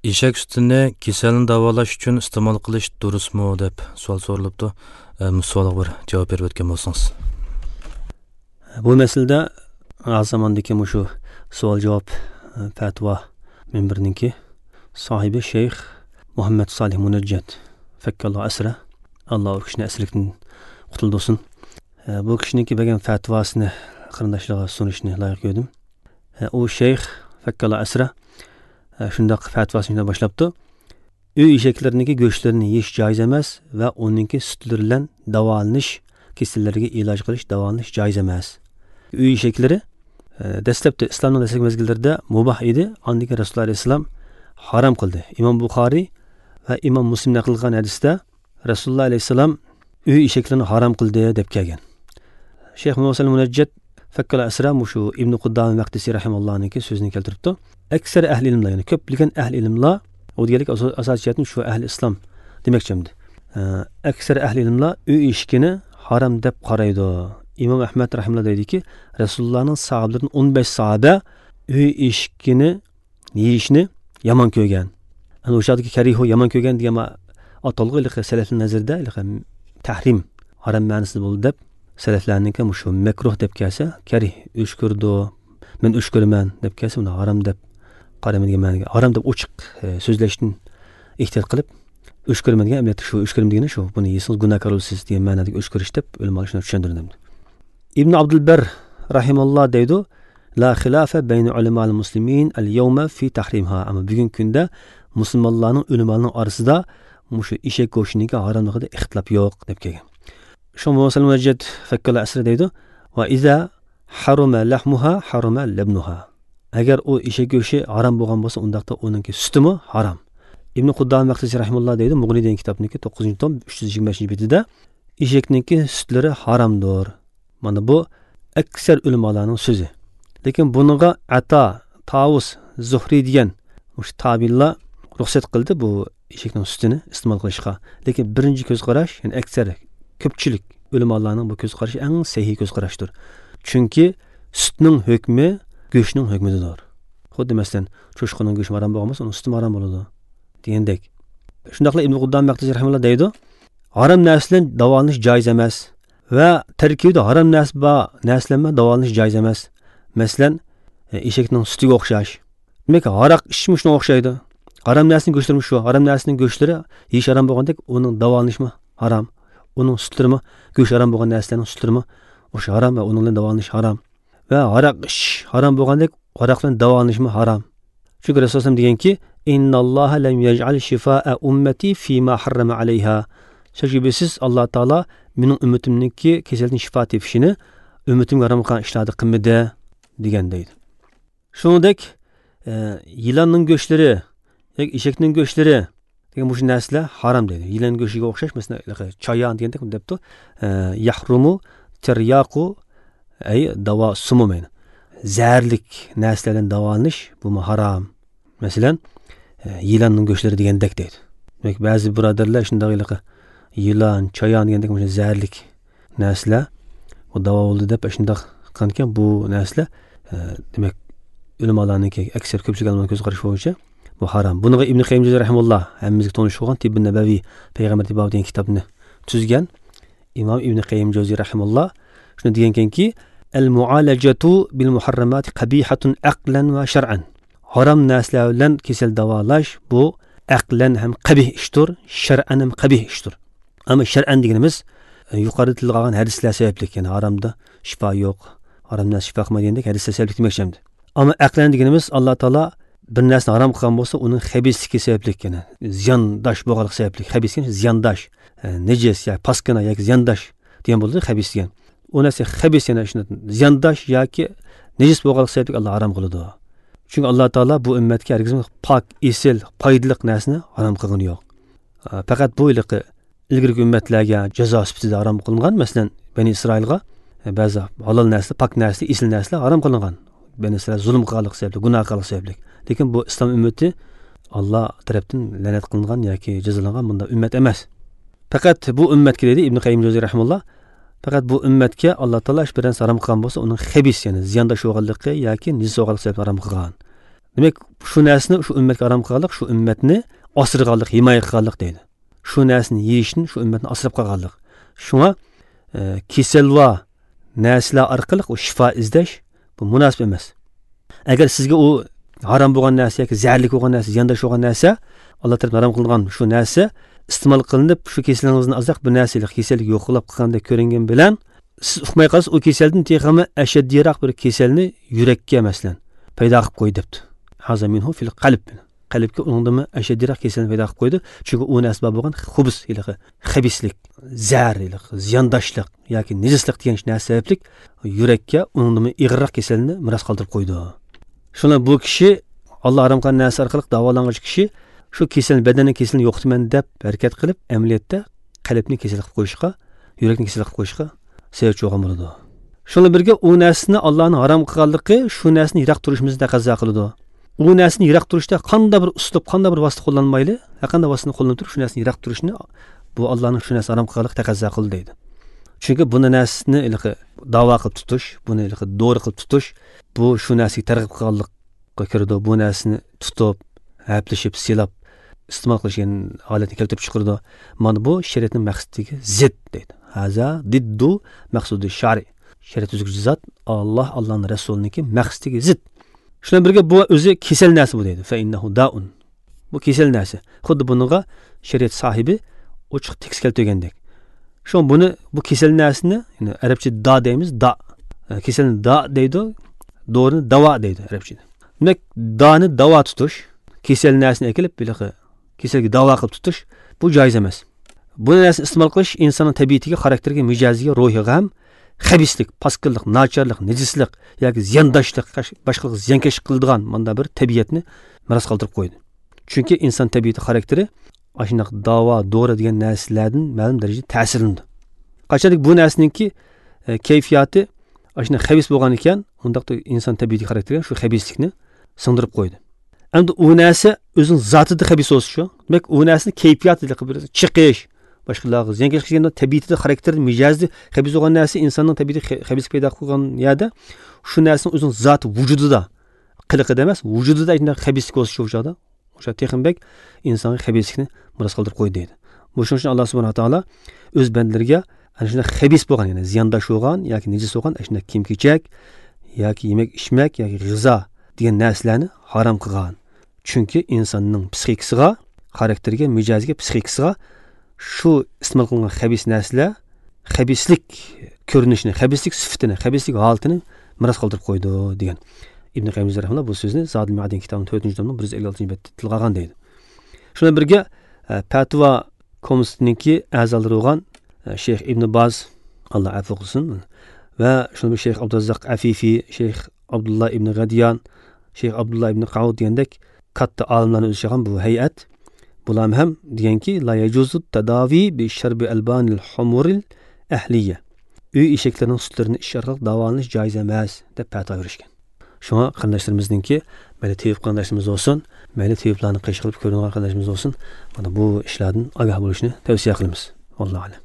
Eshak sutini kasalni davolash uchun iste'mol qilish durustmi deb savol so'ralibdi. Savolga bir javob berib o'tgan bo'lsangiz. Bu masalada zamondagi shu savol javob fatvo minbirninki sohibi shayx Muhammad Solih Munajjat fakkallohu asra, Alloh u kishini asirlikdan qutuldirsin. Bu kishiniki bergan fatvosini qarindoshlarga sunishni loyiq ko'rdim. U shayx fakkallohu asra shundoq fatvosini boshlabdi. Uy eshaklarininki go'shtlarini yeyish joiz emas va uningki sutlari bilan davolanish, kasallarga iloj qilish, davolanish joiz emas. Uy eshaklari dastlabda islomning dastlabki mezgillarida mubah edi. Andan keyin Rasululloh alayhissalom harom qildi. Imom Buxoriy va Imom Muslim naql qilgan hadisda Rasululloh alayhissalom uy eshaklarini harom qildi deb kelgan. Shayx Muhammad Munajjat fakkala asra shu Ibn Quddama Maqdisi rahimallohniki so'zini keltiribdi. Aksar ahli ilmlar, ya'ni ko'plagan ahli ilmlar, u deganlik asosiy jihatdan shu ahli islom demoqchimdi. Aksar ahli ilmlar uy eshikini harom deb qaraydi. Imom Ahmad rahimahulloh deydiki, Rasulullohning sahobalaridan 15 sahoba uy eshikini yeyishni yomon ko'rgan. Ana o'shadagi karihu yomon ko'rgan degan atalg'i salafning nazarida tahrim, harom ma'nosida bo'ldi deb salaflarningki shu makruh deb kelsa, karih o'sh ko'rdi, men o'sh ko'raman deb kelsa, uni harom deb qarayman degan ma'noga, harom deb ochiq so'zlashdan ehtiyot qilib o'sh ko'raman degan, albatta shu o'sh ko'raman degani shu, buni yesangiz gunohkor bo'lasiz degan ma'nodagi o'sh ko'rish deb ulamolar shuni tushuntirdi. Ibn Abdulbar rahimalloh deydi, la khilafa bayna ulamal muslimin al-yawma fi tahrimha. Ammo bugungi kunda musulmonlarning ulamolarning orasida mushu eshak go'shtiniga haromligida ixtilof yo'q deb kelgan. Shu Muhammad Munajjat fakkala asri deydi, va iza haruma lahmuha haruma labnuha. Agar u eshak go'shti harom bo'lgan bo'lsa, undaqda uningki sutimi harom. Ibn Quddama Maqdisi rahimahulloh deydi, Mughni degan kitobniki 9-tom 325-betida eshakningki sutlari haromdir. Mana bu aksar ulamolarning so'zi. Lekin bunga Ata, Tavus, Zuhri degan o'sha tabiinlar ruxsat qildi bu eshakning sutini iste'mol qilishga. Lekin birinchi ko'z qarash, ya'ni aksar ko'pchilik ulamolarning bu ko'z qarashi eng sahiy ko'z qarashdir. Chunki sutning hukmi go'shtning hukmidir. Xuddi masalan, cho'shqaning go'shti harom bo'lgan bo'lsa, uning suti harom bo'ladi degandek. Shundaqla Ibn Quddam Maqdisi rahimahulloh deydi, harom narsadan davolanish joiz emas va tarkibida harom narsa bor narsalardan davolanish joiz emas. Masalan, eshakning sutiga o'xshash. Demak, haroq ichishmi shunga o'xshaydi. Harom narsaning go'shtlari shu, harom narsaning go'shtlari yeyish harom bo'lgandek, uning davolanishmi harom, uning sutlarimi go'sht harom bo'lgan narsalarning sutlarimi o'sha harom va uning bilan davolanish harom. Va haroq ichish harom bo'lgandek, haroq bilan davolanishmi harom. Chunki Rasululloh deganki, innalloha lam yaj'al shifaa ummati fima harrama alayha. Shubhasiz Alloh taolo mening ummatimniki kasaldan shifo tepishini ummatimga harom qilgan ishlarni qilmadi degan deydi. Shuningdek, yilonning go'shtlari yoki eshakning go'shtlari degan bu narsalar harom deydi. Yilon go'shtiga o'xshash, masalan, chayon degandek debdi, yahrumu tiryaqu ay davo sumumayn. Zaharlik narsalardan davolanish bu harom. Masalan, yilonning go'shtlari degandek deydi. Demak, ba'zi birodarlar shunday yilon, chayon degandek mana zaharlik narsalar bu davo bo'ldi deb shunday qilgan ekan. Bu narsalar demak ulamolarningki aksar ko'pchilik ulamoning ko'z qarashi bo'yicha bu harom. Buni Ibn Qayyim rahimahulloh hammamizga tonish bo'lgan Tibbun Nabaviy payg'ambar tibbati degan kitobni tuzgan Imom Ibn Qayyim Jawziy rahimahulloh shuni degan ekanki, al-muolajatu bil muharramat qabihatun aqlan va shar'an. Harom narsalar bilan kasal davolash bu aqlan ham qabih ishdir, shar'an ham qabih ishdir. Ammo shar'an deganimiz yuqorida tilga olgan hadislar sababli, ya'ni haromda shifo yo'q, harom narsa shifo qilmaydi degandek hadislar sababli demoqchimiz. Ammo aqlan deganimiz Alloh taolo bir narsani harom qilgan bo'lsa, uning xabisligi sababli, ya'ni ziyondosh bo'lganligi sababli. Xabis degan ziyondosh, najis yoki paskana yoki ziyondosh degan bo'ladi xabis degan. U narsa xabis, ya'ni shuni ziyondosh yoki najis bo'lganligi sababli Alloh harom qiladi. Chunki Alloh taolo bu ummatga hargizmi pok, esil, foydali narsani harom qilgani yo'q. Faqat bu ilgirgi ummatlarga jazo sifatida harom qilingan. Masalan, Bani Isroilga ba'zi halol narsa, pok narsa, esil narsalar harom qilingan. Bani Isroil zulm qilganlik sababli, gunoh qilganlik sababli. Lekin bu islom ummati Alloh tarafdan la'nat qilingan yoki jazolangan bunda ummat emas. Faqat bu ummatga deydi Ibn Qayyim Jawziy rahimahulloh, faqat bu ummatga Alloh taolo bir narsa harom qilgan bo'lsa, uning xabis, ya'ni ziyondosh bo'lganligi yoki najis bo'lganligi sababli harom qilgan. Demak, shu narsani shu ummatga harom qilganlik, shu ummatni asraganlik, himoya qilganlik deydi. Shu narsani yeyishni shu ummatni asrab qolganlik. Shunga kasal va narsalar orqali u shifo izlash bu munosib emas. Agar sizga u harom bo'lgan narsa yoki zaharlik bo'lgan narsa, ziyondosh bo'lgan narsa, Alloh tarafidan harom qilingan shu narsa iste'mol qilinib, shu kasalingizni ozroq bir narsalik kasallik yo'qlab qilgandek ko'ringan bilan siz uqmay qolsiz, u kasaldan texmi ashaddiyroq bir kasalni yurakka masalan paydo qilib qo'ydi debdi. Haza minhu fil qalb. Qalbga uningdami ashaddiyroq kasalni paydo qilib qo'ydi. Chunki u narsa bo'lgan xubus, iliqi, xabislik, zar, iliqi, ziyondoshlik yoki nejislik degan narsa sababli yurakka uningdami ig'irroq kasalni miros qoldirib qo'ydi. Shuna bu kishi Alloh harom qilgan narsa orqali davolangan kishi shu kasalni, badanning kasalini yo'qotaman deb harakat qilib, amaliyotda qalbni kasal qilib qo'yishga, yurakni kasal qilib qo'yishga sababchi bo'lgan bo'ladi. Shunla birga u narsani Allohning harom qilganligi shu narsani yiroq turishimizni taqozo qiladi. U narsani yiroq turishda qanday bir uslub, qanday bir vosita qo'llanmayli, qanday vositani qo'llanib turib shu narsani yiroq turishni bu Allohning shu narsani harom qilganligi taqozo qildi deydi. Chunki buni narsani iliqi davo qilib tutish, buni iliqi dori qilib tutish, bu shu narsaga targ'ib qilganlikka kiradi. Bu narsani tutib, haplashib, silab iste'mol qilish holatni keltirib chiqaradi. Mana bu shariatning maqsadiga zid deydi. Haza diddu maqsudi shari. Shariat tuzuvchi zot Alloh, Allohning rasuliniki maqsadiga zid. Shundan birga bu o'zi kasal narsa bu deydi. Fa innahu daun. Bu kasal narsa. Xuddi bunga shariat sahibi ochiq tekst keltirgandek. Shu buni bu kasal narsani, ya'ni arabcha da deymiz, da. Kasalni da deydi, dorini davo deydi arabchada. Demak, dani davo tutish, kasal narsani akilib, biliqi kasalga davo qilib tutish bu joiz emas. Bu narsani iste'mol qilish insonning tabiatiga, xarakteriga, mijoziga, ruhiga ham xabislik, pasqillik, nacharlik, nejislik yoki ziyondoshlik, boshqalarga ziyonkashlik qiladigan manda bir tabiatni miros qoldirib qo'ydi. Chunki inson tabiati, xarakteri ashunaq davo, dori degan narsalardan ma'lum darajada ta'sirlanadi. Qachonki bu narsaningki kayfiyati ashunaq xabis bo'lgan ekan, undaqda inson tabiati xarakteriga shu xabislikni singdirib qo'ydi. Endi u narsa o'zining zotida xabis bo'lsa shu, demak u narsani kayfiyati bir chiqish, boshqalarga ziyonkashlik qilganda tabiatida, xarakterida, mijozida xabis bo'lgan narsa insonning tabiati xabis paydo qilgan yerda shu narsani o'zining zoti vujudida, qiliqida emas, vujudida shunday xabislik bo'lsa shu chog'da o'sha texnbek insonga xabislikni miros qoldirib qo'ydi deydi. Bu shuning uchun Alloh subhanahu va taolo o'z bandalariga ana shunday xabis bo'lgan, ya'ni ziyondosh bo'lgan yoki nejis bo'lgan ana shunday kiyim-kechak yoki yemak ichmak yoki g'izo degan narsalarni harom qilgan. Chunki insonning psixikasiga, xarakteriga, mijoziga, psixikasiga shu iste'mol qilingan xabis narsalar xabislik ko'rinishini, xabislik sifatini, xabislik holatini miros qoldirib qo'ydi degan. Ibn Qayyim rahimahulloh bu so'zni Zadul Ma'adin kitobining 4-tomning 156-betda tilga olgan deydi. Shundan birga Fatvo komissiyasining a'zolari bo'lgan Sheyx Ibn Baz, Alloh afv qilsin, va shundan Sheyx Abdurazzaq Afifi, Sheyx Abdulloh ibn G'adiyan, Sheyx Abdulloh ibn Qavud degandek katta olimlarni o'z ichiga olgan bu hay'at bular ham deganki la yajuzu tadavi bi sharbi albanil humuril ahliya. Uy eshaklarining sutlarini ichish orqali davolanish joiz emas deb fatvo berishgan. Shunga qarindoshlarimizninki mayli tevib qarindoshlarimiz bo'lsin, mayli teviblarni qish qilib ko'ringan qarindoshlarimiz bo'lsin, mana bu ishlardan ogoh bo'lishni tavsiya qilamiz. Allohu a'lam.